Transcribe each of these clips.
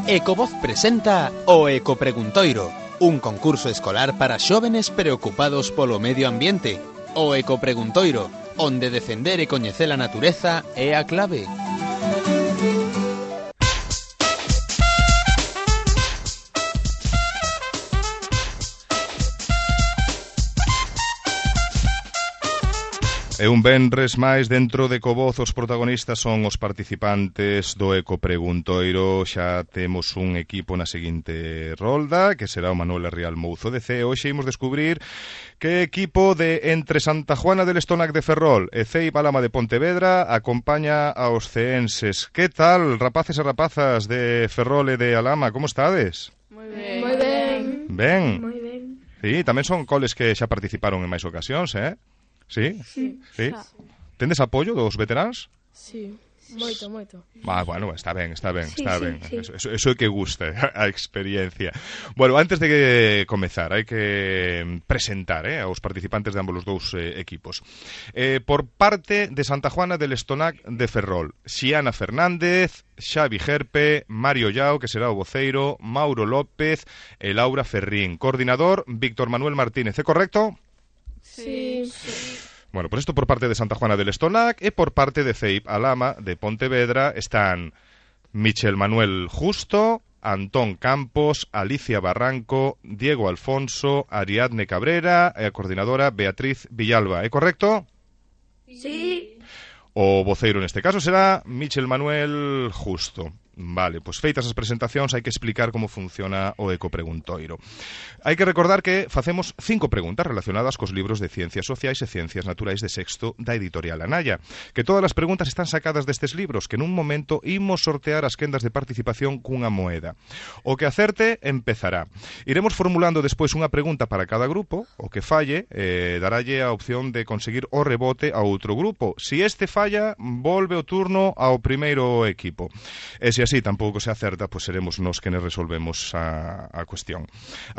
Ecovoz presenta o Ecopreguntoiro, un concurso escolar para xóvenes preocupados polo medio ambiente. O Ecopreguntoiro, onde defender e coñecer a natureza é a clave. E un venres máis dentro de Ecovoz, os protagonistas son os participantes do Ecopreguntoiro. Xa temos un equipo na seguinte rolda, que será o Manuel Rial Mouzo de C. Hoxe imos descubrir que equipo de entre Santa Juana del Estonac de Ferrol e Cei Palama de Pontevedra acompaña aos ceenses. Que tal, rapaces e rapazas de Ferrol e de Alama, como estades? Moi ben. Moi ben. Ben? Moi ben. Sí, tamén son coles que xa participaron en máis ocasións, eh? Sí? Sí. Sí? Tendes apoio dos veteráns? Sí, moito, moito. Bueno, está ben, Sí, está sí, ben. sí. Eso é que gusta, a experiencia. Bueno, antes de comezar, hai que presentar aos participantes de ambos os dous equipos. Por parte de Santa Juana del Estonac de Ferrol, Xiana Fernández, Xavi Gerpe, Mario Llao, que será o voceiro, Mauro López e Laura Ferrín. Coordinador, Víctor Manuel Martínez, é correcto? Sí. Bueno, pues esto por parte de Santa Juana del Estonac e por parte de Cei Palama de Pontevedra están Michel Manuel Justo, Antón Campos, Alicia Barranco, Diego Alfonso, Ariadne Cabrera e a coordinadora Beatriz Villalba. É correcto? Sí. O voceiro neste caso será Michel Manuel Justo. Vale, pois feitas as presentacións hai que explicar como funciona o Ecopreguntoiro. Hai que recordar que facemos 5 preguntas relacionadas cos libros de Ciencias Sociais e Ciencias Naturais de sexto da editorial Anaya. Que todas as preguntas están sacadas destes libros, que nun momento imos sortear as quendas de participación cunha moeda. O que acerte empezará. Iremos formulando despois unha pregunta para cada grupo, o que falle daralle a opción de conseguir o rebote a outro grupo. Si este falla, volve o turno ao primeiro equipo. E se así tampouco se acerta, pois seremos nós que resolvemos a cuestión.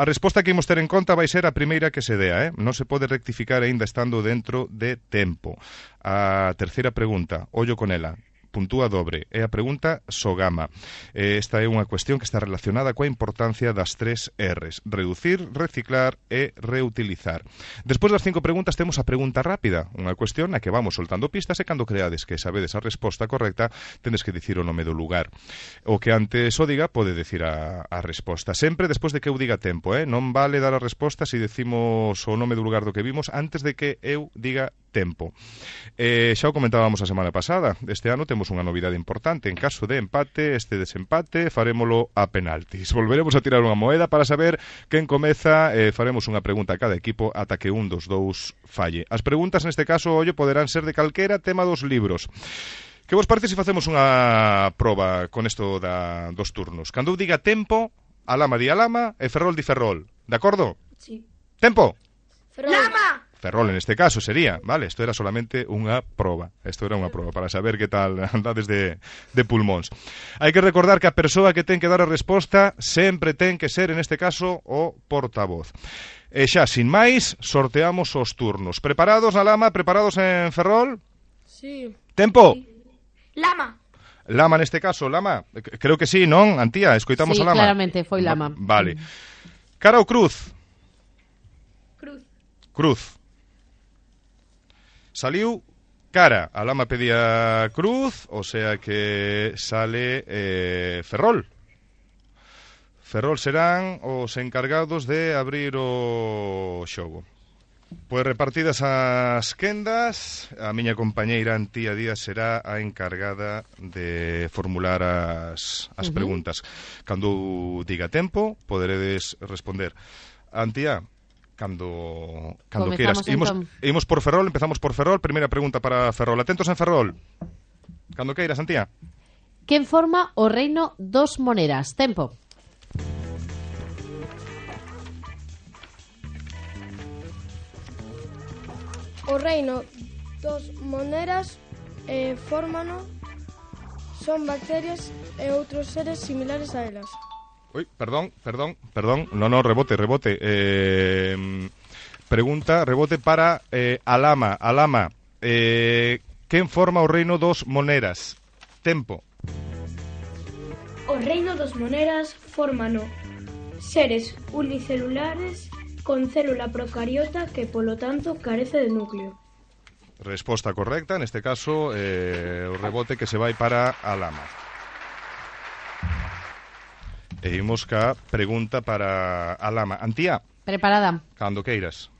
A resposta que imos ter en conta vai ser a primeira que se dea, non se pode rectificar aínda estando dentro de tempo. A terceira pregunta, ollo con ela, puntúa dobre, é a pregunta Sogama. Esta é unha cuestión que está relacionada coa importancia das 3 R's: reducir, reciclar e reutilizar. Despois das 5 preguntas temos a pregunta rápida, unha cuestión na que vamos soltando pistas e cando creades que sabedes a resposta correcta, tendes que dicir o nome do lugar. O que antes o diga pode dicir a resposta. Sempre despois de que eu diga tempo, non vale dar a resposta se decimos o nome do lugar do que vimos antes de que eu diga tempo. Xa o comentábamos a semana pasada, este ano temos unha novidade importante. En caso de empate, este desempate farémolo a penaltis. Volveremos a tirar unha moeda para saber quen comeza e faremos unha pregunta a cada equipo ata que un dos dous falle. As preguntas neste caso, ollo, poderán ser de calquera tema dos libros. Que vos parece se facemos unha proba con isto dos turnos? Cando eu diga tempo, Alama di Alama e Ferrol di Ferrol. De acordo? Sí. Tempo! Ferrol. Lama! Ferrol en este caso sería, vale, isto era solamente unha proba. Isto era unha proba para saber que tal andades de pulmóns. Hai que recordar que a persoa que ten que dar a resposta sempre ten que ser, en este caso, o portavoz. E xa, sin máis, sorteamos os turnos. Preparados, Alama? Preparados en Ferrol? Sí. Tempo! Sí. Lama! Lama neste caso, Lama? Creo que sí, non? Antía, escoitamos sí, a Lama? Sí, claramente, foi Lama. Vale. Cara ou cruz? Cruz. Cruz. Saliu cara. A Lama pedía cruz, o sea que sale Ferrol. Ferrol serán os encargados de abrir o xogo. Pois repartidas as quendas, a miña compañeira Antía Díaz será a encargada de formular as preguntas. Cando diga tempo, poderedes responder. Antía, cando queiras. Imos por Ferrol, empezamos por Ferrol. Primeira pregunta para Ferrol. Atentos en Ferrol. Cando queiras, Antía. Quen forma o reino dos Moneras? Tempo. O reino dos Moneras fórmano son bacterias e outros seres similares a elas. Ui, perdón. No, rebote. Pregunta, rebote para Alama. Alama, quen forma o reino dos Moneras? Tempo. O reino dos moneras fórmano seres unicelulares con célula procariota que, polo tanto, carece de núcleo. Resposta correcta, neste caso, o rebote que se vai para a Lama. E imos ca pregunta para a Lama. Antía, Preparada. cando queiras.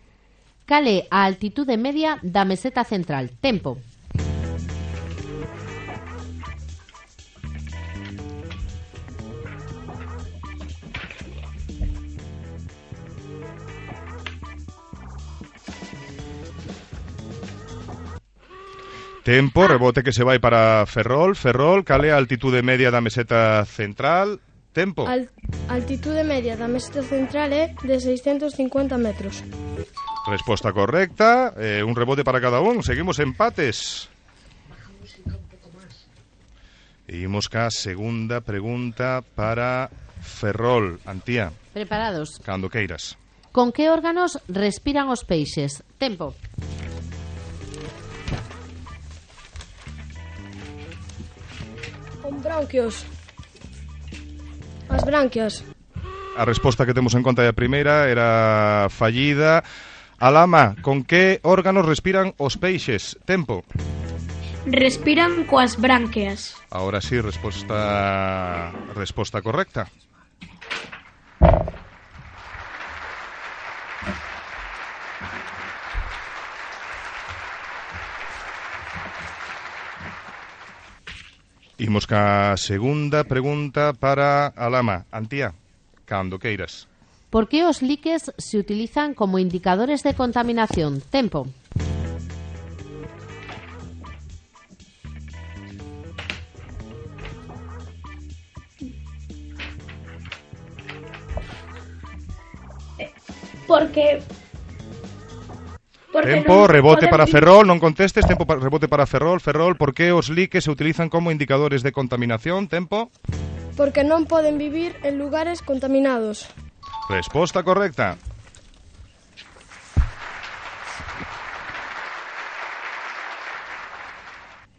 Cal é a altitude media da meseta central? Tempo. Tempo, rebote que se vai para Ferrol. Ferrol, cal é a altitude media da meseta central? Tempo. Altitude media da meseta central é de 650 metros. Resposta correcta, un rebote para cada un. Seguimos empates. E imos ca segunda pregunta para Ferrol. Antía, Preparados. cando queiras. Con que órganos respiran os peixes? Tempo. Con bronquios. As branquias. A resposta que temos en conta é a primeira, era fallida. A Lama, con que órganos respiran os peixes? Tempo. Respiran coas bránqueas. Ahora sí, resposta correcta. Imos ca segunda pregunta para a Lama. Antía, cando queiras. Por que os liques se utilizan como indicadores de contaminación? Tempo. Porque Tempo, non rebote poden para vivir- Ferrol, non contestes. Tempo, rebote para Ferrol. Ferrol, por que os liques se utilizan como indicadores de contaminación? Tempo. Porque non poden vivir en lugares contaminados. Resposta correcta.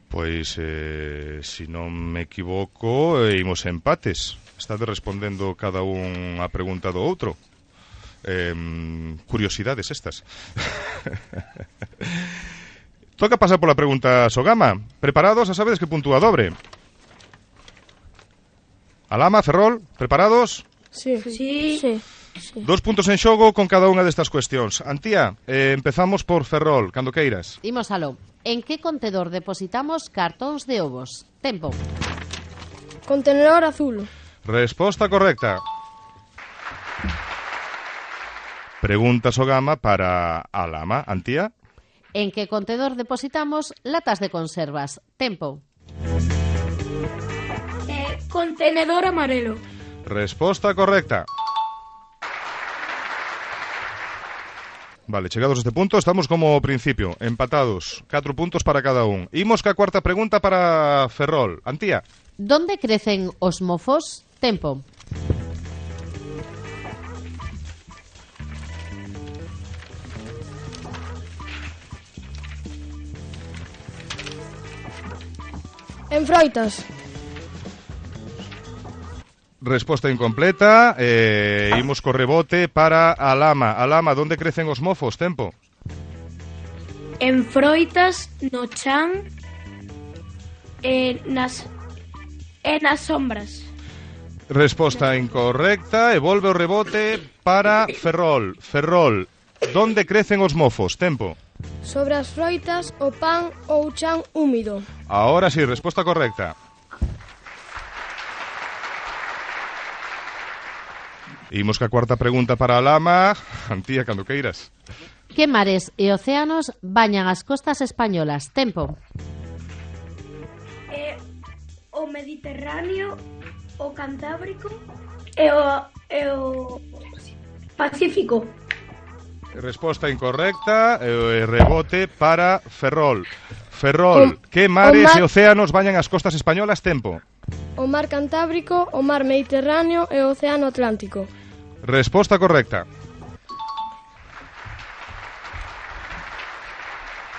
Pois, se non me equivoco, imos empates. Estade respondendo cada un a pregunta do outro. Curiosidades estas. Toca pasar pola pregunta Sogama. Preparados? A sabedes que puntúa dobre. Alama, Ferrol, preparados? Sí. Sí. Sí. 2 puntos en xogo con cada unha destas cuestións. Antía, empezamos por Ferrol, cando queiras. Imos aló. En que contedor depositamos cartóns de ovos? Tempo. Contenedor azul. Resposta correcta. Pregunta Sogama para a Lama. Antía. En que contedor depositamos latas de conservas? Tempo. Contenedor amarelo. Resposta correcta. Vale, chegados a este punto, estamos como ao principio, empatados, 4 puntos para cada un. Imos ca cuarta pregunta para Ferrol. Antía. Donde crecen os mofos? Tempo. En froitas. Resposta incompleta. Imos co rebote para a Lama. A Lama, donde crecen os mofos? Tempo. En froitas, no chan, nas sombras. Resposta incorrecta. E volve o rebote para Ferrol. Ferrol, donde crecen os mofos? Tempo. Sobre as froitas, o pan ou chan húmido. Ahora sí, resposta correcta. Imos ca cuarta pregunta para a Lama. Antía, cando queiras. Que mares e océanos bañan as costas españolas? Tempo. O Mediterráneo, o Cantábrico e o Pacífico. Resposta incorrecta. Rebote para Ferrol. Ferrol, que mares e océanos bañan as costas españolas? Tempo. O mar Cantábrico, o mar Mediterráneo e o océano Atlántico. Resposta correcta.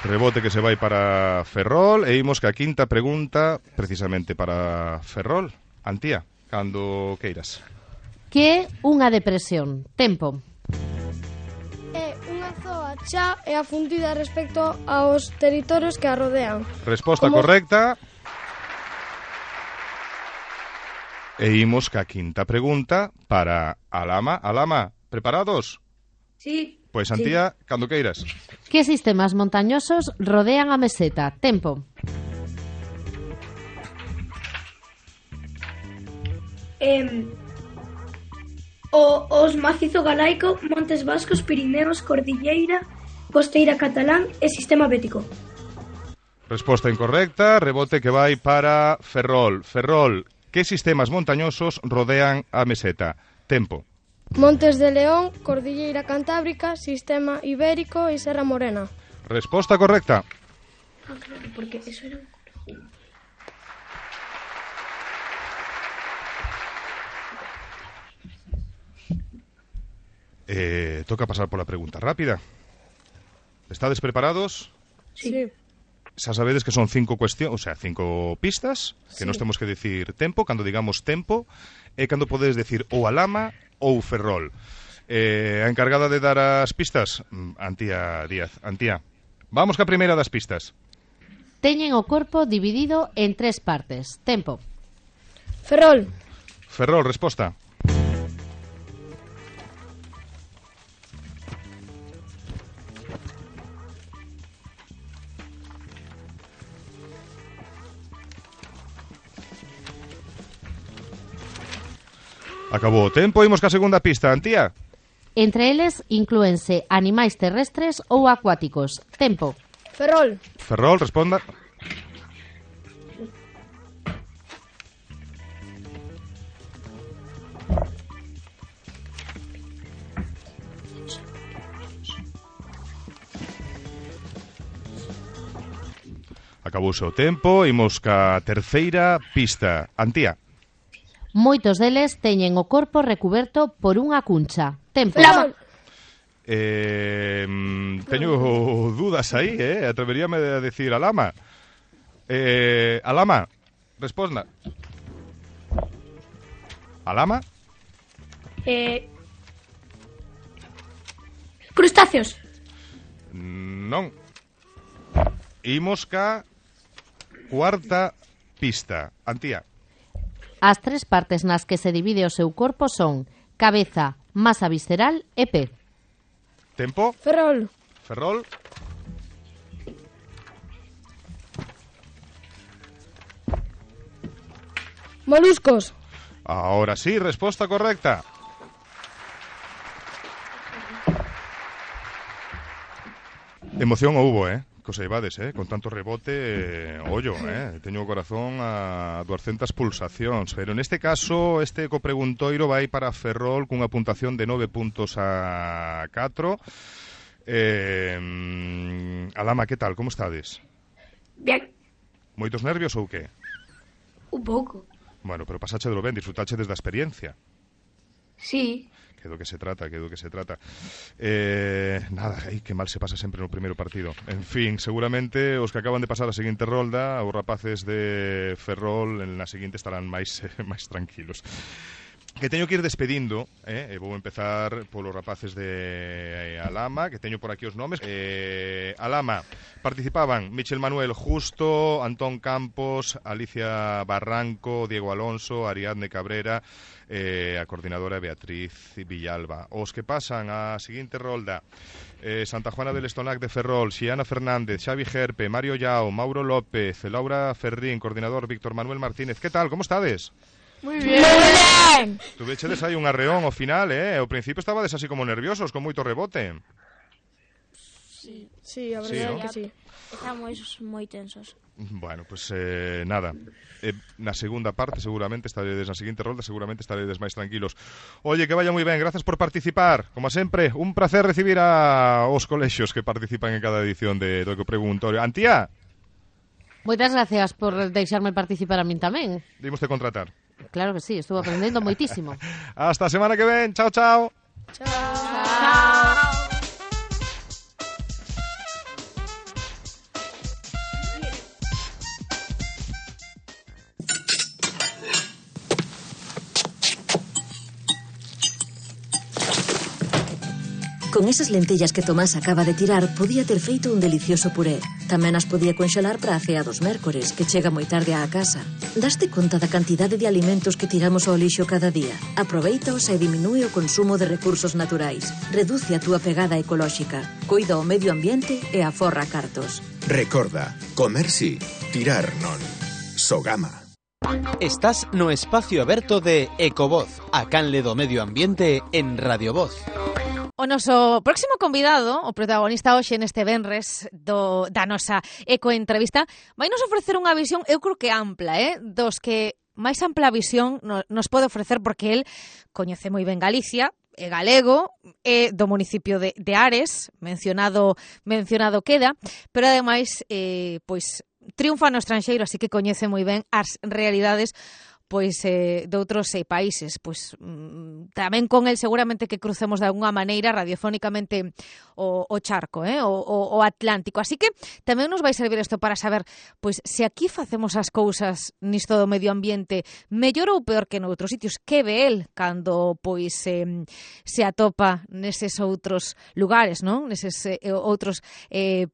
Rebote que se vai para Ferrol. E imos ca quinta pregunta, precisamente para Ferrol. Antía. Cando queiras. Que é unha depresión? Tempo. É unha zoa xa e afundida respecto aos territorios que a rodean. Resposta correcta. E imos ca quinta pregunta para Alama. Alama, preparados? Sí. Pois, Antía, cando queiras. Que sistemas montañosos rodean a meseta? Tempo. Os macizo galaico, Montes Vascos, Pirineos, Cordilleira, Costeira Catalán e Sistema Bético. Resposta incorrecta, rebote que vai para Ferrol. Ferrol, que sistemas montañosos rodean a meseta? Tempo. Montes de León, Cordilleira Cantábrica, Sistema Ibérico e Serra Morena. Resposta correcta. Claro, porque eso era... Toca pasar pola pregunta rápida. Estades preparados? Sí. Xa sabedes que son 5 cuestións, o sea, 5 pistas, que nos temos que decir tempo. Cando digamos tempo, é cando podedes decir ou Alama ou Ferrol. A encargada de dar as pistas, Antía Díaz. Antía, vamos ca primeira das pistas. Teñen o corpo dividido en 3 partes. Tempo. Ferrol. Ferrol, resposta. Acabou o tempo, imos ca segunda pista, Antía. Entre eles inclúense animais terrestres ou acuáticos. Tempo. Ferrol. Ferrol, responda. Acabouse o tempo, imos ca terceira pista. Antía. Moitos deles teñen o corpo recuberto por unha cuncha. Tempo. Ferrol. Teño dudas aí, atreveríame a decir Alama. Alama, responda. Alama? Crustáceos. Non. Imos ca cuarta pista. Antía. As 3 partes nas que se divide o seu corpo son cabeza, masa visceral e pé. Tempo. Ferrol. Ferrol. Moluscos. Ahora sí, resposta correcta. Emoción houbo, Cos Eivades, con tanto rebote, ollo, teño o corazón a 200 pulsacións, pero neste caso este ecopreguntoiro vai para Ferrol cunha puntuación de 9 puntos a 4. Alama, que tal? Como estades? Bien. Moitos nervios ou que? Un pouco. Bueno, pero pasache do ben, disfrutache desde a experiencia. Sí. Que do que se trata. Nada, que mal se pasa sempre no primeiro partido. En fin, seguramente os que acaban de pasar a seguinte rolda, os rapaces de Ferrol na seguinte estarán máis tranquilos. Que teño que ir despedindo, e vou empezar polos rapaces de Alama, que teño por aquí os nomes. Alama, participaban Michel Manuel Justo, Antón Campos, Alicia Barranco, Diego Alonso, Ariadne Cabrera, a coordinadora Beatriz Villalba. Os que pasan a seguinte rolda: Santa Juana del Estonac de Ferrol, Xiana Fernández, Xavi Gerpe, Mario Llao, Mauro López, Laura Ferrín, coordinador Víctor Manuel Martínez. Que tal? Como estades? Muy bien. Tuvechedes aí un arreón ao final, Ao principio estabades así como nerviosos, con moito rebote. Sí, a verdade ¿no? que sí. Estamos moi tensos. Bueno, pues nada. Na segunda parte seguramente estaredes, na seguinte rolda seguramente estaredes máis tranquilos. Oye, que vaya moi ben, gracias por participar. Como sempre, un placer recibir aos colexios que participan en cada edición de do Ecopreguntorio. Antía, Moitas gracias por deixarme participar a min tamén. dimos de contratar. Claro que sí, estuve aprendendo moitísimo. Hasta a semana que ven. Chao, chao. Chao. Con esas lentellas que Tomás acaba de tirar, podía ter feito un delicioso puré. Tamén as podía conxelar para a cea dos mércores, que chega moi tarde á casa. Daste conta da cantidade de alimentos que tiramos ao lixo cada día? Aproveitaos e diminúe o consumo de recursos naturais. Reduce a túa pegada ecolóxica. Cuida o medio ambiente e aforra cartos. Recorda, comer sí, tirar non. Sogama. Estás no espacio aberto de Ecovoz, a canle do medio ambiente en Radio Voz. O noso próximo convidado, o protagonista hoxe neste venres da nosa ecoentrevista, vai nos ofrecer unha visión, eu creo que ampla, dos que máis ampla visión nos pode ofrecer, porque el coñece moi ben Galicia, é galego, é do municipio de Ares, mencionado queda, pero ademais pois triunfa no estranxeiro, así que coñece moi ben as realidades pois de outros países. Pois tamén con el seguramente que crucemos de alguna maneira radiofónicamente o charco, o Atlántico. Así que tamén nos vai servir isto para saber pois se aquí facemos as cousas nisto do medio ambiente mellor ou peor que noutros sitios. Que ve el cando pois se atopa neses outros lugares, non? Neses outros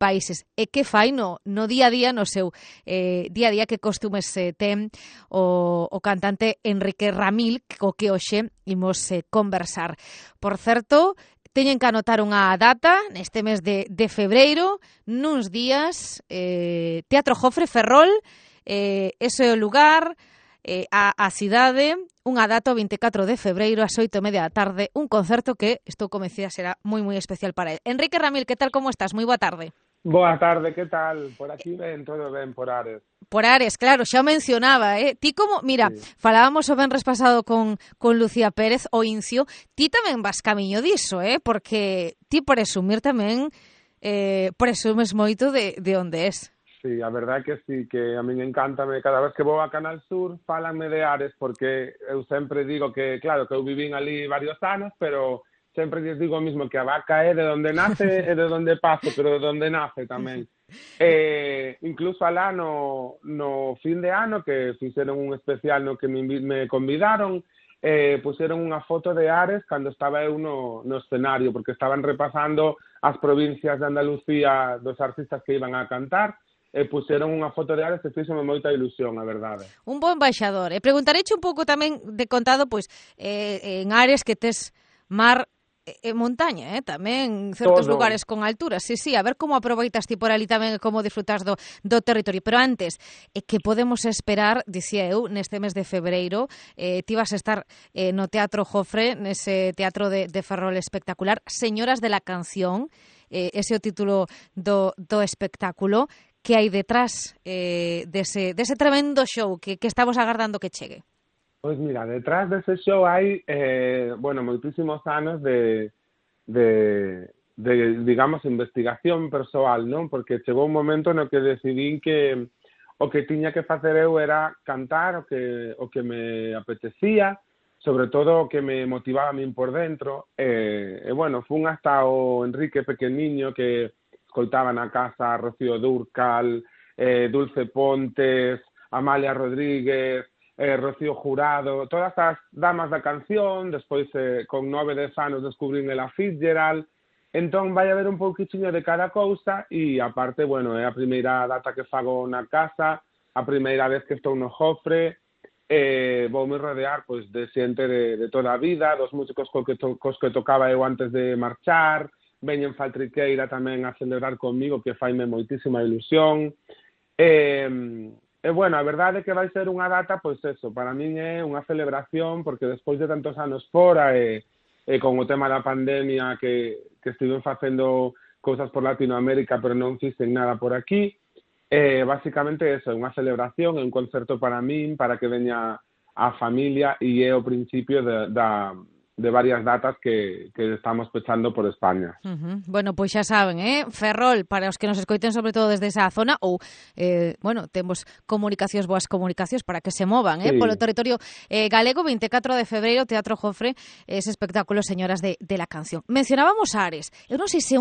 países. E que fai no día a día, no seu día a día, que costumes ten o cantante Enrique Ramil, co que hoxe imos conversar. Por certo, teñen que anotar unha data neste mes de febreiro, nuns días, Teatro Jofre, Ferrol, ese é o lugar, a cidade, unha data o 24 de febreiro ás 8:30 da tarde, un concerto que estou convencida será moi moi especial para el. Enrique Ramil, que tal, como estás? Moi boa tarde. Boa tarde, que tal? Por aquí ben, todo ben, por Ares. Por Ares, claro, xa o mencionaba, Ti como, mira, sí. Falábamos o venres pasado con Lucía Pérez, o Incio, ti tamén vas camiño diso, porque ti presumir tamén, presumes moito de onde és. Sí, a verdade que sí, que a min encántame, cada vez que vou a Canal Sur, fálanme de Ares, porque eu sempre digo que, claro, que eu vivín ali varios anos, pero sempre lles digo o mismo, que a vaca é de onde nace e de onde pase, pero de onde nace tamén. Incluso alá no fin de ano, que fixeron un especial no que me convidaron, puseron unha foto de Ares cando estaba eu no escenario, porque estaban repasando as provincias de Andalucía dos artistas que iban a cantar, e puseron unha foto de Ares que fíxome moita ilusión, a verdade. Un bo embaixador. Preguntareche un pouco tamén de contado, pois, en Ares que tes mar e montaña, tamén certos lugares con altura. Sí, a ver como aproveitas ti por ali tamén, como disfrutas do territorio. Pero antes, que podemos esperar, dicía eu, neste mes de febreiro, ti vas a estar no Teatro Jofre, nese teatro de Ferrol espectacular, Señoras de la Canción, ese é o título do espectáculo. Que hai detrás dese tremendo show que estamos agardando que chegue? Pois mira, detrás dese show hai, moitísimos anos de digamos, investigación persoal, non? Porque chegou un momento no que decidín que o que tiña que facer eu era cantar o que me apetecía, sobre todo o que me motivaba a min por dentro. Fun hasta o Enrique pequeniño, que escoitaba na casa Rocío Dúrcal, Dulce Pontes, Amalia Rodríguez, Rocío Jurado, todas as damas da canción. Despois, con 9-10 anos, descubrín Ella Fitzgerald. Entón, vai haber un pouquiño de cada cousa, e aparte, é a primeira data que fago na casa, a primeira vez que estou no Jofre, voume rodear pois de xente de toda a vida, dos músicos cos que tocaba eu antes de marchar, veñen Faltriqueira tamén a celebrar comigo, que faime moitísima ilusión. A verdade é que vai ser unha data, pois eso, para min é unha celebración, porque despois de tantos anos fora e con o tema da pandemia que estiven facendo cousas por Latinoamérica, pero non fixen nada por aquí, basicamente eso, é unha celebración, é un concerto para min, para que veña a familia, e é o principio de varias datas que estamos pechando por España. Bueno, pois xa saben, Ferrol, para os que nos escoiten sobre todo desde esa zona, ou, temos boas comunicacións para que se movan, sí, polo territorio galego. 24 de febreiro, Teatro Jofre, ese espectáculo Señoras de la Canción. Mencionábamos Ares. Eu non sei se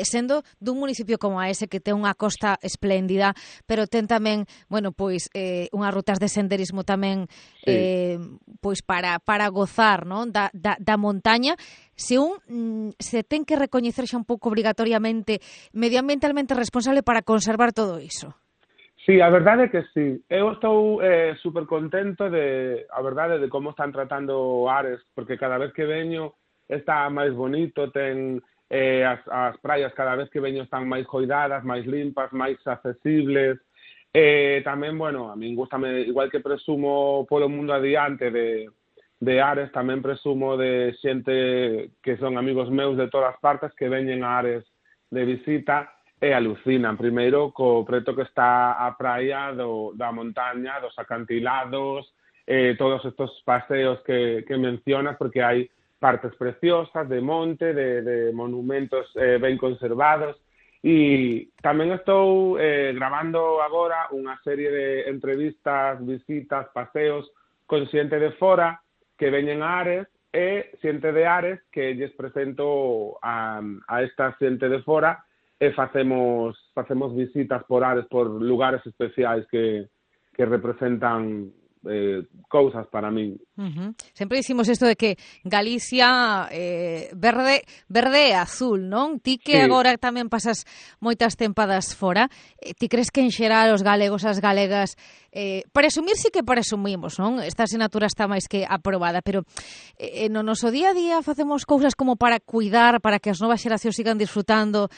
sendo dun municipio como a ese, que ten unha costa espléndida, pero ten tamén, unhas rutas de senderismo tamén pois para gozar, non, da montaña. Se se ten que recoñecer xa un pouco obrigatoriamente medioambientalmente responsable para conservar todo iso. Sí, a verdade é que sí. Eu estou super contento a verdade, de como están tratando Ares, porque cada vez que veño está máis bonito, ten as praias cada vez que veño están máis coidadas, máis limpas, máis accesibles. Tamén, bueno, a min gustame, igual que presumo polo mundo adiante de Ares, tamén presumo de xente que son amigos meus de todas partes que veñen a Ares de visita e alucinan. Primeiro, co preto que está a praia da montaña, dos acantilados, todos estos paseos que mencionas, porque hai partes preciosas de monte, de monumentos ben conservados, e tamén estou gravando agora unha serie de entrevistas, visitas, paseos con xente de fora que veñen a Ares e xente de Ares que lles presento a esta xente de fora e facemos visitas por Ares, por lugares especiais que representan cousas para min. Sempre dicimos isto de que Galicia verde e azul, non? Ti que agora tamén pasas moitas tempadas fora, ti crees que en xeral os galegos, as galegas, presumir sí que presumimos, non? Esta asignatura está máis que aprobada, pero no noso día a día facemos cousas como para cuidar, para que as novas xeracións sigan disfrutando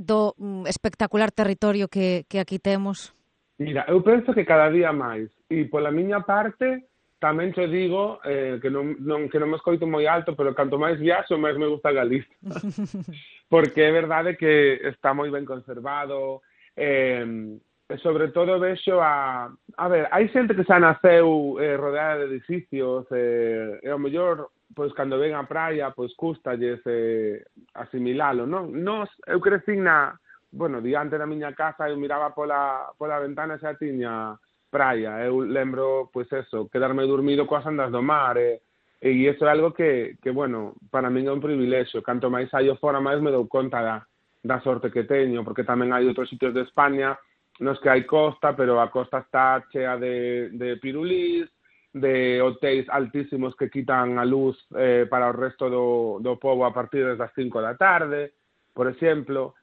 do espectacular territorio que aquí temos? Mira, eu penso que cada día máis. E pola miña parte, tamén te digo que non me escoito moi alto, pero canto máis viaxo, máis me gusta Galicia. Porque é verdade que está moi ben conservado. Sobre todo vexo a ver, hai xente que xa naceu rodeada de edificios, e ao mellor, pois, cando ven a praia, pois, cústalles asimilalo, non? Eu crecín diante da miña casa, eu miraba pola ventana e xa tiña praia. Eu lembro, pois eso, quedarme dormido coas andas do mar, e iso é algo que, bueno, para min é un privilexio. Canto máis saio fora, máis me dou conta da sorte que teño, porque tamén hai outros sitios de España nos que hai costa, pero a costa está chea de pirulís, de hotéis altísimos que quitan a luz para o resto do pobo a partir das 5 da tarde, por exemplo,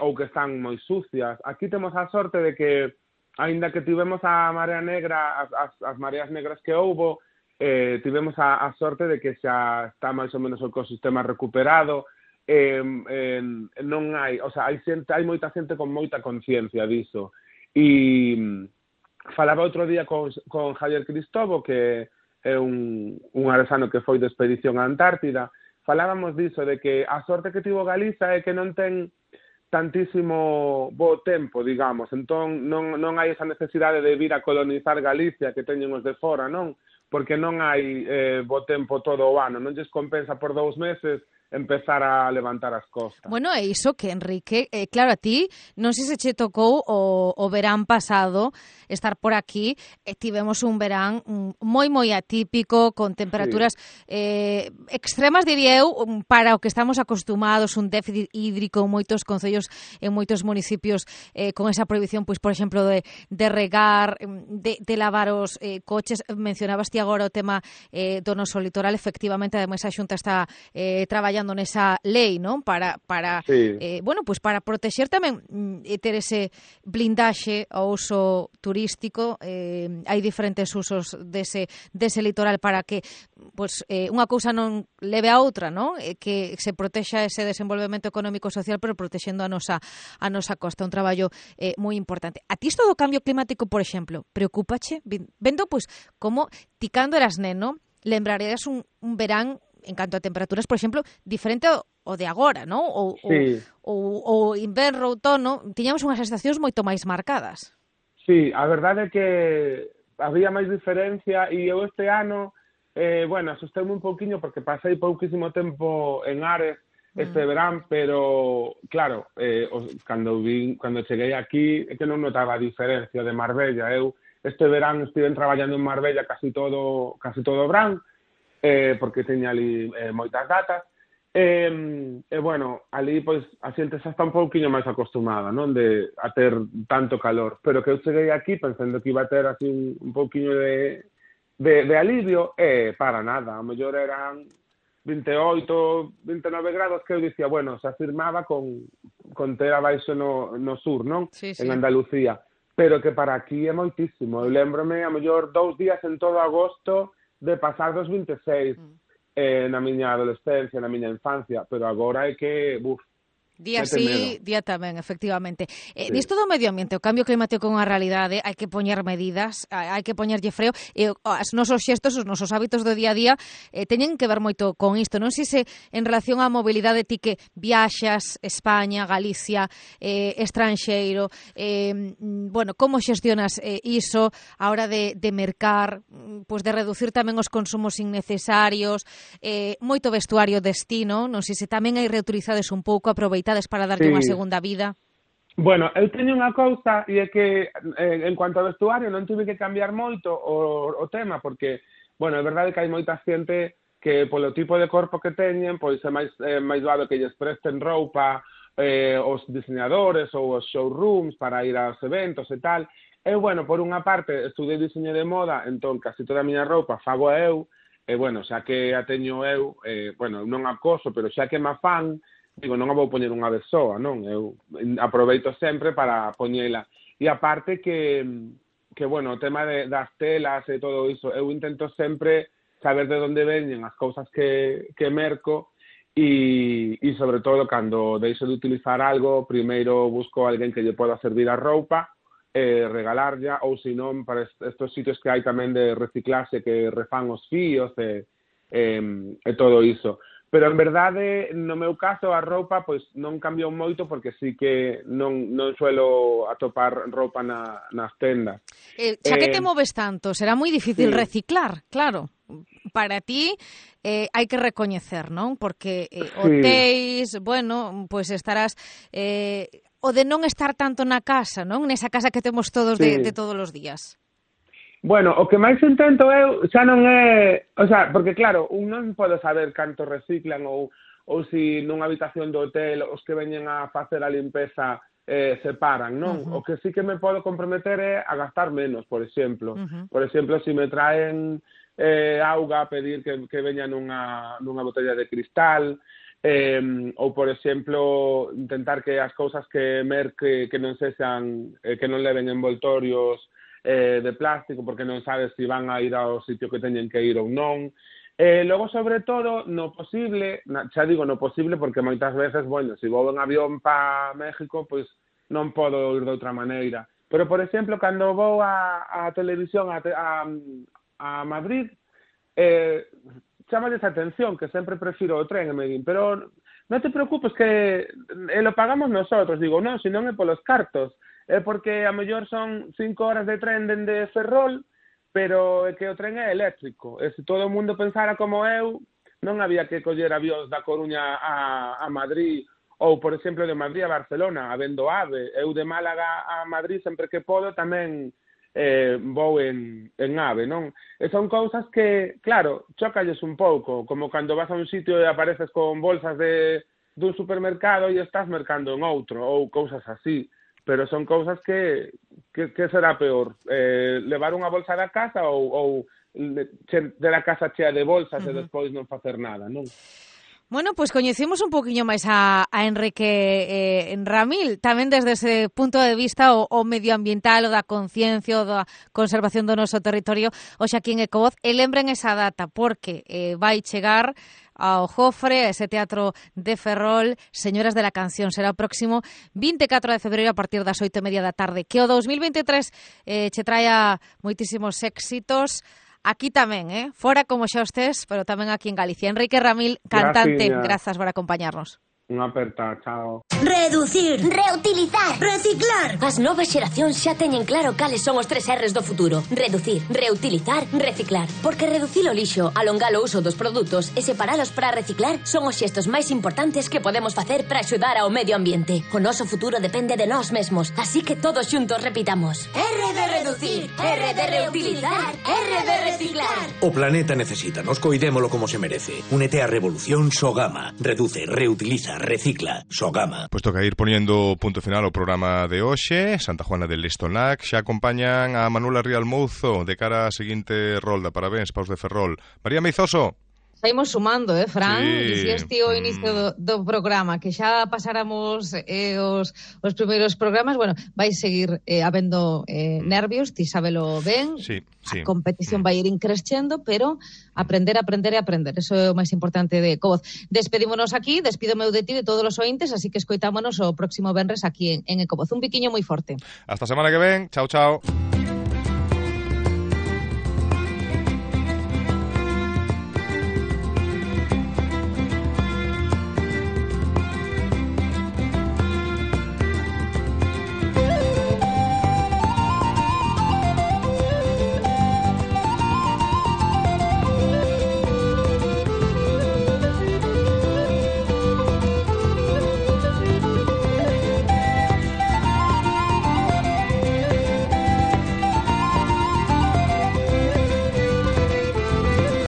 ou que están moi sucias. Aquí temos a sorte de que, aínda que tivemos a marea negra, as mareas negras que houbo, tivemos a sorte de que xa está máis ou menos o ecosistema recuperado, non hai, o sea, hai moita xente con moita conciencia diso. E falaba outro día con Javier Cristobo, que é un aresano que foi de expedición á Antártida, falábamos diso, de que a sorte que tivo Galiza é que non ten tantísimo bo tempo, digamos. Entón, non hai esa necesidade de vir a colonizar Galicia que teñen os de fora, non? Porque non hai bo tempo todo o ano. Non lles compensa por 2 meses empezar a levantar as costas. Bueno, é iso que, Enrique, claro, a ti non sei se che tocou o verán pasado estar por aquí, tivemos un verán moi atípico, con temperaturas extremas, diría eu, para o que estamos acostumados, un déficit hídrico en moitos concellos, en moitos municipios, con esa prohibición, pois, por exemplo, de regar, de lavar os coches. Mencionabas ti agora o tema do noso litoral. Efectivamente, ademais, a Xunta está traballando nesa lei, non? Para pues para protexer tamén ter ese blindaxe ao uso turístico. Hai diferentes usos dese litoral para que pues unha cousa non leve a outra, non? Que se protexa ese desenvolvemento económico e social, pero protexendo a nosa costa. Un traballo moi importante. A ti isto do cambio climático, por exemplo, preocúpache? Vendo, pues, como ti cando eras neno lembrarías un verán en canto a temperaturas, por exemplo, diferente ao de agora, non? Ou inverno, outono, tiñamos unhas estacións moito máis marcadas. Sí, a verdade é que había máis diferencia, e eu este ano, asustei-me un pouquiño porque pasei pouquísimo tempo en Ares este verán, pero, claro, cando cheguei aquí, é que non notaba a diferencia de Marbella. Eu este verán estive traballando en Marbella casi todo o verán, porque teña ali moitas datas, ali, pois, a xente xa está un pouquinho máis acostumada, non, a ter tanto calor, pero que eu cheguei aquí pensando que iba a ter así un pouquinho de de alivio, para nada, a mellor eran 28, 29 grados que eu dicía, bueno, se afirmaba con ter abaixo no sur, non? Sí. En Andalucía, pero que para aquí é moitísimo. Eu lembrome, a mellor 2 días en todo agosto de pasar dos 26 na miña adolescencia, na miña infancia, pero agora é que, Día sí, día tamén, efectivamente. Nisto do medio ambiente, o cambio climático é unha realidade, hai que poñer medidas, hai que poñerlle freo, e os nosos xestos, os nosos hábitos do día a día teñen que ver moito con isto. Non sei se en relación á mobilidade ti que viaxas España, Galicia, estranxeiro, bueno, como xestionas iso a hora de mercar, pois de reducir tamén os consumos innecesarios, moito vestuario destino, non sei se tamén hai reutilizades un pouco, aproveitades para darlle unha segunda vida? Bueno, eu teño unha cousa e é que en cuanto ao vestuario non tive que cambiar moito o tema porque, bueno, é verdade que hai moita xente que polo tipo de corpo que teñen, pois é máis doado que lles presten roupa os diseñadores ou os showrooms para ir aos eventos e tal. Eu, bueno, por unha parte, estudei diseño de moda, entón casi toda a miña roupa fago eu, e, bueno, xa que a teño eu, bueno, non acoso, pero xa que me fan, digo, non a vou poñer unha vez soa, non? Eu aproveito sempre para poñela. E aparte que bueno, o tema das telas e todo iso, eu intento sempre saber de onde veñen as cousas que merco e sobre todo, cando deixo de utilizar algo, primeiro busco a alguén que lle poda servir a roupa, regalarlla, ou senón para estos sitios que hai tamén de reciclaxe que refán os fíos e todo iso. Pero, en verdade, no meu caso, a roupa pois non cambiou moito porque sí que non suelo atopar roupa nas tendas. Xa que te moves tanto, será moi difícil reciclar, claro. Para ti hai que recoñecer, non? Porque hotéis, bueno, pois estarás... o de non estar tanto na casa, non? Nesa casa que temos todos de todos os días. Bueno, o que máis intento eu xa non é... O sea, porque claro, un non pode saber canto reciclan ou si nunha habitación do hotel os que veñen a facer a limpeza separan, non? O que sí que me podo comprometer é a gastar menos, por exemplo. Por exemplo, se me traen auga, pedir que veña nunha botella de cristal, ou, por exemplo, intentar que as cousas que merque que non sexan, que non leven envoltorios de plástico, porque non sabes se van a ir ao sitio que teñen que ir ou non. Logo, sobre todo, no posible, xa digo no posible porque moitas veces, bueno, se vou en avión para México, pois non podo ir de outra maneira. Pero, por exemplo, cando vou a televisión a Madrid, chámales a atención, que sempre prefiro o tren, e me din, pero non te preocupes que lo pagamos nosotros. Digo, non, se non é polos cartos. É porque a mellor son 5 horas de tren dende Ferrol, pero é que o tren é eléctrico. E se todo o mundo pensara como eu, non había que coller avións da Coruña a Madrid, ou, por exemplo, de Madrid a Barcelona, habendo AVE. Eu de Málaga a Madrid, sempre que podo, tamén vou en AVE, non? E son cousas que, claro, chócalles un pouco, como cando vas a un sitio e apareces con bolsas dun supermercado e estás mercando en outro, ou cousas así. Pero son cousas que será peor, levar unha bolsa da casa ou ter a casa chea de bolsas e despois non facer nada, non? Bueno, pois coñecemos un poquinho máis a Enrique Ramil, tamén desde ese punto de vista o medioambiental, o da conciencia, o da conservación do noso territorio, hoxe aquí en Ecovoz, e lembren esa data, porque vai chegar ao Jofre, a ese teatro de Ferrol, Señoras de la Canción. Será o próximo 24 de febreiro a partir das 8:30 da tarde. Que o 2023 che traia moitísimos éxitos. Aquí tamén, fora como xa estés, pero tamén aquí en Galicia. Enrique Ramil, cantante, grazas por acompañarnos. Unha aperta, chao. Reducir, reutilizar, reciclar. As novas xeracións xa teñen claro cales son os 3 R's do futuro. Reducir, reutilizar, reciclar. Porque reducir o lixo, alongar o uso dos produtos e separalos para reciclar son os xestos máis importantes que podemos facer para axudar ao medio ambiente. O noso futuro depende de nós mesmos, así que todos xuntos repitamos. R de reducir, R de reutilizar, R de reciclar. O planeta necesita, nos coidémolo como se merece. Únete á revolución Sogama. Reduce, reutiliza, recicla, Sogama. Pues toca ir poniendo punto final ao programa de hoxe. Santa Juana del Lestonac xa acompañan a Manuela Rial Mouzo de cara á seguinte rolda. Parabéns, Paus de Ferrol. María Meizoso. Saímos sumando, Fran? Sí. Dicías o inicio do programa que xa pasáramos os primeiros programas. Bueno, vai seguir habendo nervios, ti sábelo ben. Sí. A competición vai ir increscendo, pero aprender. Eso é o máis importante de Covoz. Despedímonos aquí, despídome de ti de todos os ointes, así que escoitámonos o próximo venres aquí en Ecovoz. Un biquiño moi forte. Hasta semana que ven. Chao, chao.